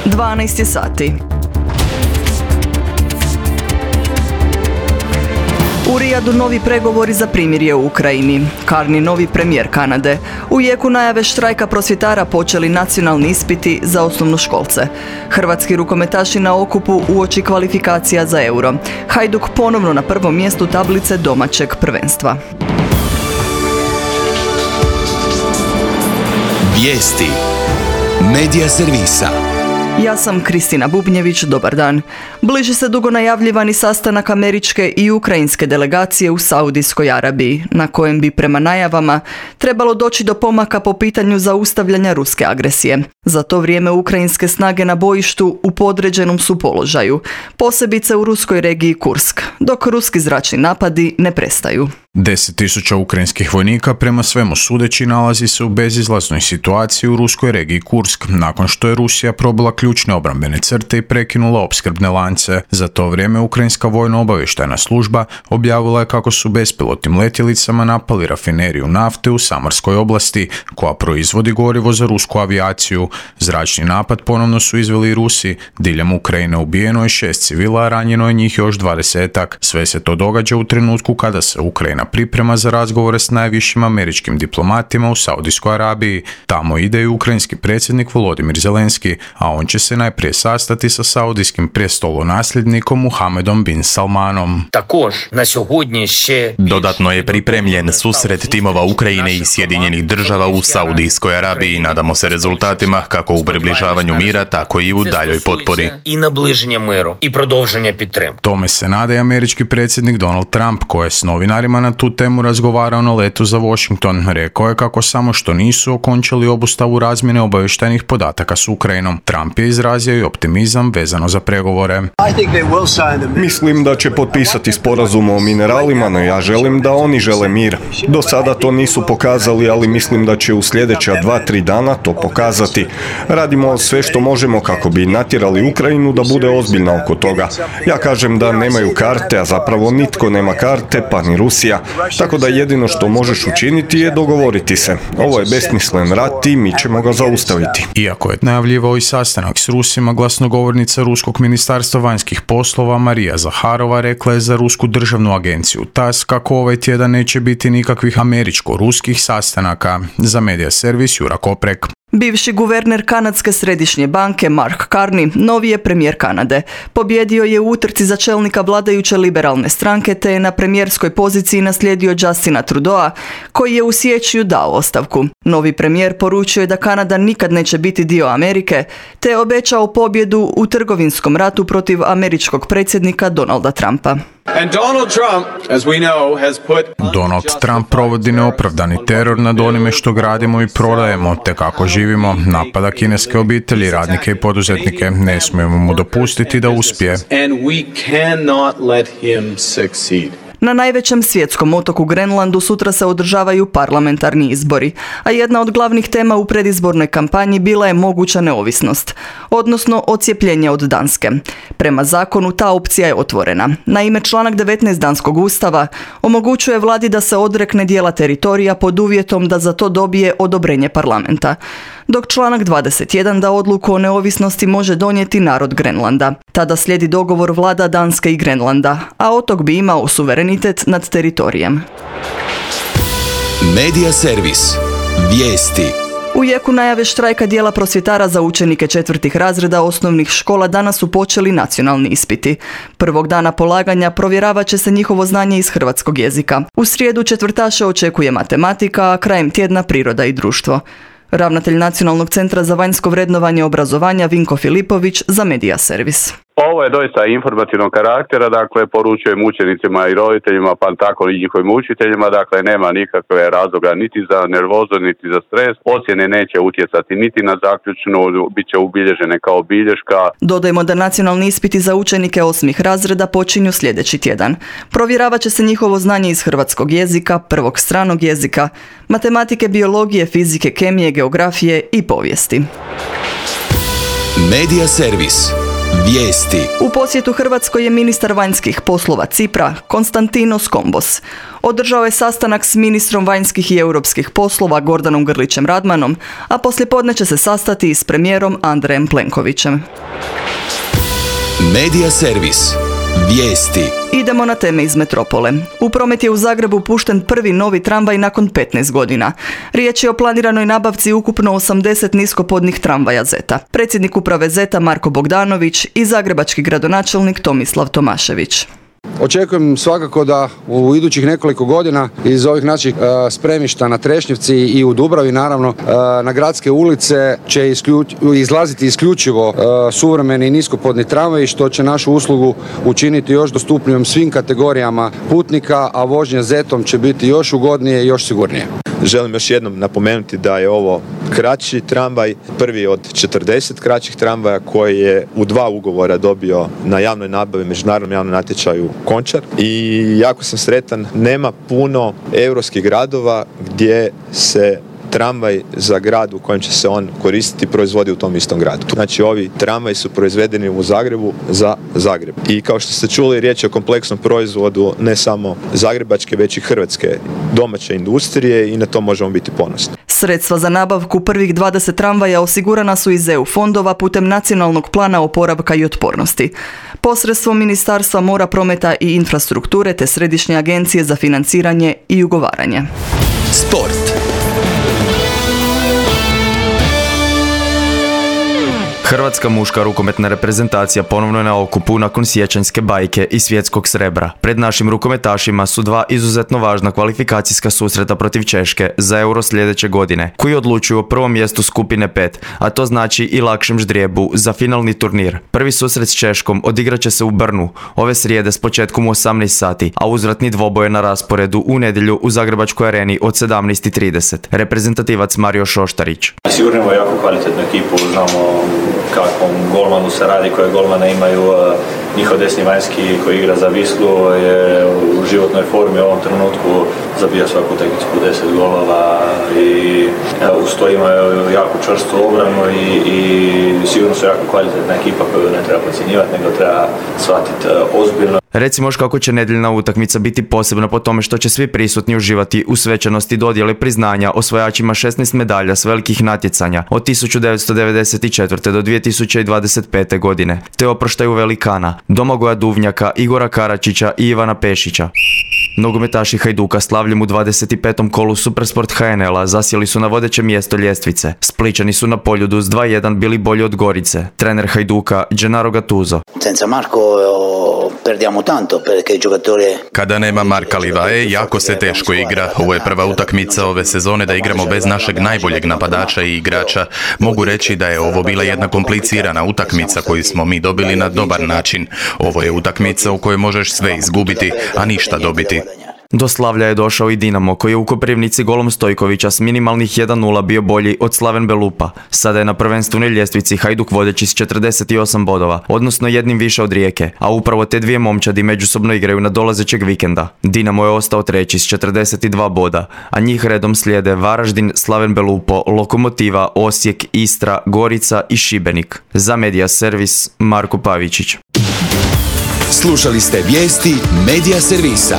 12 je sati. U Rijadu novi pregovori za primirje u Ukrajini. Carney novi premijer Kanade. U jeku najave štrajka prosvjetara počeli nacionalni ispiti za osnovnoškolce. Hrvatski rukometaši na okupu uoči kvalifikacija za Euro. Hajduk ponovno na prvom mjestu tablice domaćeg prvenstva. Vijesti Medija servisa. Ja sam Kristina Bubnjević, dobar dan. Bliži se dugo najavljivani sastanak američke i ukrajinske delegacije u Saudijskoj Arabiji, na kojem bi prema najavama trebalo doći do pomaka po pitanju zaustavljanja ruske agresije. Za to vrijeme ukrajinske snage na bojištu u podređenom su položaju, posebice u ruskoj regiji Kursk, dok ruski zračni napadi ne prestaju. 10.000 ukrajinskih vojnika prema svemu sudeći nalazi se u bezizlaznoj situaciji u ruskoj regiji Kursk, nakon što je Rusija probila ključne obrambene crte i prekinula opskrbne lance. Za to vrijeme ukrajinska vojno-obavještajna služba objavila je kako su bespilotnim letjelicama napali rafineriju nafte u Samarskoj oblasti, koja proizvodi gorivo za rusku avijaciju. Zračni napad ponovno su izveli i Rusi. Diljem Ukrajine ubijeno je 6 civila, a ranjeno je njih još 20-ak. Sve se to događa u trenutku kada se Ukrajina priprema za razgovore s najvišim američkim diplomatima u Saudijskoj Arabiji. Tamo ide i ukrajinski predsjednik Volodymyr Zelenski, a on će se najprije sastati sa saudijskim prestolonasljednikom Muhamedom bin Salmanom. Dodatno je pripremljen susret timova Ukrajine i Sjedinjenih država u Saudijskoj Arabiji. Nadamo se rezultatima kako u približavanju mira, tako i u daljoj potpori. Tome se nada i američki predsjednik Donald Trump, koji je s novinarima na tu temu razgovarao na letu za Washington. Rekao je kako samo što nisu okončali obustavu razmjene obavještajnih podataka s Ukrajinom. Trump je izrazio i optimizam vezano za pregovore. Mislim da će potpisati sporazum o mineralima, no ja želim da oni žele mir. Do sada to nisu pokazali, ali mislim da će u sljedeća 2-3 dana to pokazati. Radimo sve što možemo kako bi natjerali Ukrajinu da bude ozbiljna oko toga. Ja kažem da nemaju karte, a zapravo nitko nema karte, pa ni Rusija. Tako da jedino što možeš učiniti je dogovoriti se. Ovo je besmislen rat i mi ćemo ga zaustaviti. Iako je najavljivao i sastanak s Rusima, glasnogovornica Ruskog ministarstva vanjskih poslova Marija Zaharova rekla je za Rusku državnu agenciju TASS kako ovaj tjedan neće biti nikakvih američko-ruskih sastanaka. Za Medija servis Jura Koprek. Bivši guverner Kanadske središnje banke Mark Carney novi je premijer Kanade. Pobjedio je u utrci za čelnika vladajuće liberalne stranke te je na premijerskoj poziciji naslijedio Justina Trudeau, koji je u siječnju dao ostavku. Novi premijer poručio je da Kanada nikad neće biti dio Amerike, te je obećao pobjedu u trgovinskom ratu protiv američkog predsjednika Donalda Trumpa. Donald Trump provodi neopravdani teror nad onime što gradimo i prodajemo, te kako živimo. Napada kineske obitelji, radnike i poduzetnike. Ne smijemo mu dopustiti da uspije. Na najvećem svjetskom otoku Grenlandu sutra se održavaju parlamentarni izbori, a jedna od glavnih tema u predizbornoj kampanji bila je moguća neovisnost, odnosno odcijepljenje od Danske. Prema zakonu ta opcija je otvorena. Naime, članak 19 danskog ustava omogućuje vladi da se odrekne dijela teritorija pod uvjetom da za to dobije odobrenje parlamenta, dok članak 21 da odluku o neovisnosti može donijeti narod Grenlanda. Tada slijedi dogovor vlada Danske i Grenlanda, a otok bi imao suverenitet nad teritorijem. Medija servis. Vijesti. U jeku najave štrajka dijela prosvjetara za učenike 4. razreda osnovnih škola danas su počeli nacionalni ispiti. Prvog dana polaganja provjeravat će se njihovo znanje iz hrvatskog jezika. U srijedu četvrtaše očekuje matematika, a krajem tjedna priroda i društvo. Ravnatelj Nacionalnog centra za vanjsko vrednovanje obrazovanja Vinko Filipović za Medija servis. Ovo je doista informativnog karaktera, dakle poručujem učenicima i roditeljima, pa tako i njihovim učiteljima, dakle nema nikakve razloga niti za nervozu, niti za stres. Ocjene neće utjecati niti na zaključnu, bit će ubilježene kao bilješka. Dodajmo da nacionalni ispiti za učenike 8. razreda počinju sljedeći tjedan. Provjeravat će se njihovo znanje iz hrvatskog jezika, prvog stranog jezika, matematike, biologije, fizike, kemije, geografije i povijesti. Medija servis. Vijesti. U posjetu Hrvatskoj je ministar vanjskih poslova Cipra, Konstantinos Kombos. Održao je sastanak s ministrom vanjskih i europskih poslova Gordanom Grlićem Radmanom, a poslijepodne će se sastati i s premijerom Andrejem Plenkovićem. Medija servis. Vijesti. Idemo na teme iz metropole. U promet je u Zagrebu pušten prvi novi tramvaj nakon 15 godina. Riječ je o planiranoj nabavci ukupno 80 niskopodnih tramvaja Zeta. Predsjednik uprave Zeta Marko Bogdanović i zagrebački gradonačelnik Tomislav Tomašević. Očekujem svakako da u idućih nekoliko godina iz ovih naših spremišta na Trešnjevci i u Dubravi naravno na gradske ulice će izlaziti isključivo suvremeni niskopodni tramvaji, što će našu uslugu učiniti još dostupnijom svim kategorijama putnika, a vožnja Zetom će biti još ugodnije i još sigurnije. Želim još jednom napomenuti da je ovo kraći tramvaj, prvi od 40 kraćih tramvaja koji je u 2 ugovora dobio na javnoj nabavi, međunarodnom javnom natječaju Končar. I jako sam sretan, nema puno europskih gradova gdje se tramvaj za grad u kojem će se on koristiti proizvodi u tom istom gradu. Znači ovi tramvaji su proizvedeni u Zagrebu za Zagreb. I kao što ste čuli, riječ je o kompleksnom proizvodu ne samo zagrebačke, već i hrvatske domaće industrije i na to možemo biti ponosni. Sredstva za nabavku prvih 20 tramvaja osigurana su iz EU fondova putem Nacionalnog plana oporavka i otpornosti. Posredstvom Ministarstva mora, prometa i infrastrukture te Središnje agencije za financiranje i ugovaranje. Sport. Hrvatska muška rukometna reprezentacija ponovno je na okupu nakon siječanjske bajke i svjetskog srebra. Pred našim rukometašima su 2 izuzetno važna kvalifikacijska susreta protiv Češke za Euro sljedeće godine, koji odlučuju o prvom mjestu skupine 5, a to znači i lakšem ždrijebu za finalni turnir. Prvi susret s Češkom odigrat će se u Brnu ove srijede s početkom u 18 sati, a uzvratni dvoboj je na rasporedu u nedjelju u Zagrebačkoj areni od 17:30. Reprezentativac Mario Šoštarić. Sigurno imamo jako kvalitetnu ekipu, znamo kakvom golmanu se radi, koje golmane imaju. Njihov desni vanjski koji igra za Wislu je u životnoj formi u ovom trenutku, zabija svaku utakmicu po 10 golova i uz to imaju jako čvrstu obranu i sigurno su jako kvalitetna ekipa koju ne treba podcjenjivati, nego treba shvatiti ozbiljno. Recimo još kako će nedjeljna utakmica biti posebna po tome što će svi prisutni uživati u svečanosti dodjele priznanja osvajačima 16 medalja s velikih natjecanja od 1994. do 2025. godine, te oproštaju velikana Domagoja Duvnjaka, Igora Karačića i Ivana Pešića. Nogometaši Hajduka slavljem u 25. kolu Supersport HNL-a zasjeli su na vodeće mjesto ljestvice. Splićani su na Poljudu s 2:1 bili bolji od Gorice. Trener Hajduka Gennaro Gattuso. Senza Marco perdiamo tanto perché il giocatore. Kada nema Marka Livaje, jako se teško igra. Ovo je prva utakmica ove sezone da igramo bez našeg najboljeg napadača i igrača. Mogu reći da je ovo bila jedna komplicirana utakmica koju smo mi dobili na dobar način. Ovo je utakmica u kojoj možeš sve izgubiti, a ništa dobiti. Do slavlja je došao i Dinamo, koji je u Koprivnici golom Stojkovića s minimalnih 1:0 bio bolji od Slaven Belupa. Sada je na prvenstvenoj ljestvici Hajduk vodeći s 48 bodova, odnosno jednim više od Rijeke, a upravo te dvije momčadi međusobno igraju na dolazećeg vikenda. Dinamo je ostao treći s 42 boda, a njih redom slijede Varaždin, Slaven Belupo, Lokomotiva, Osijek, Istra, Gorica i Šibenik. Za Medija servis Marko Pavičić. Slušali ste vijesti Medija servisa.